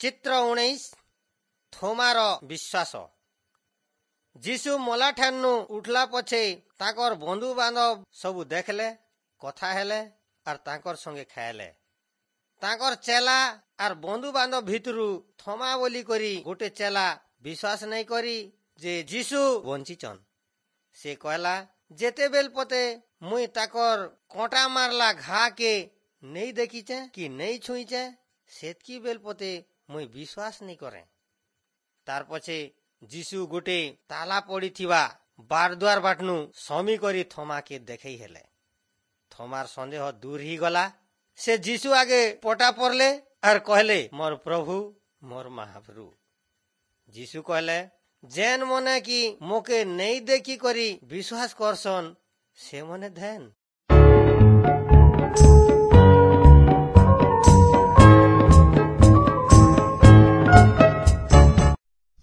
ଚିତ୍ର 19, ଥୋମାର ବିଶ୍ୱାସ। ଯୀଶୁ ମଲାଠାନୁ ଉଠଲା ପଛେ ତାଙ୍କର ବନ୍ଧୁବାନ୍ଧବ ସବୁ ଦେଖଲେ, କଥା ହେଲେ ଆର୍ ତାଙ୍କର ସଙ୍ଗେ ଖାଇଲେ। ତାଙ୍କର ଚେଲା ଆର୍ ବନ୍ଧୁବାନ୍ଧବ ଭିତରୁ ଥମା ବୋଲି କରି ଗୋଟେ ଚେଲା ବିଶ୍ୱାସ ନାଇଁ କରି ଯେ ଯୀଶୁ ବଞ୍ଚିଛନ୍। ସେ କହିଲା, ଯେତେବେଲ ପତେ ମୁଇଁ ତାକର କଣ୍ଟା ମାରଲା ଘା କେ ନେଇ ଦେଖିଛେ କି ନେଇ ଛୁଇଁଛେ, ସେତ୍କି ବେଲ ପତେ ମୁଇଁ ବିଶ୍ୱାସ ନାଇଁ କରେ। ତାର ପଛେ ଯୀଶୁ ଗୋଟେ ତାଲା ପଡିଥିବା ବାରଦ୍ୱାର ବାଟନୁ ସମି କରି ଥମାକେ ଦେଖେଇ ହେଲେ। ଥମାର ସନ୍ଦେହ ଦୂର ହେଇଗଲା। ସେ ଯୀଶୁ ଆଗେ ପଟା ପଡଲେ ଆର୍ କହିଲେ, ମୋର ପ୍ରଭୁ, ମୋର ମହାପ୍ରଭୁ। ଯୀଶୁ କହିଲେ, ଯେନ୍ ମନେ କି ମୋକେ ନେଇ ଦେଖି କରି ବିଶ୍ୱାସ କରସନ୍, ସେମାନେ ଧେନ୍।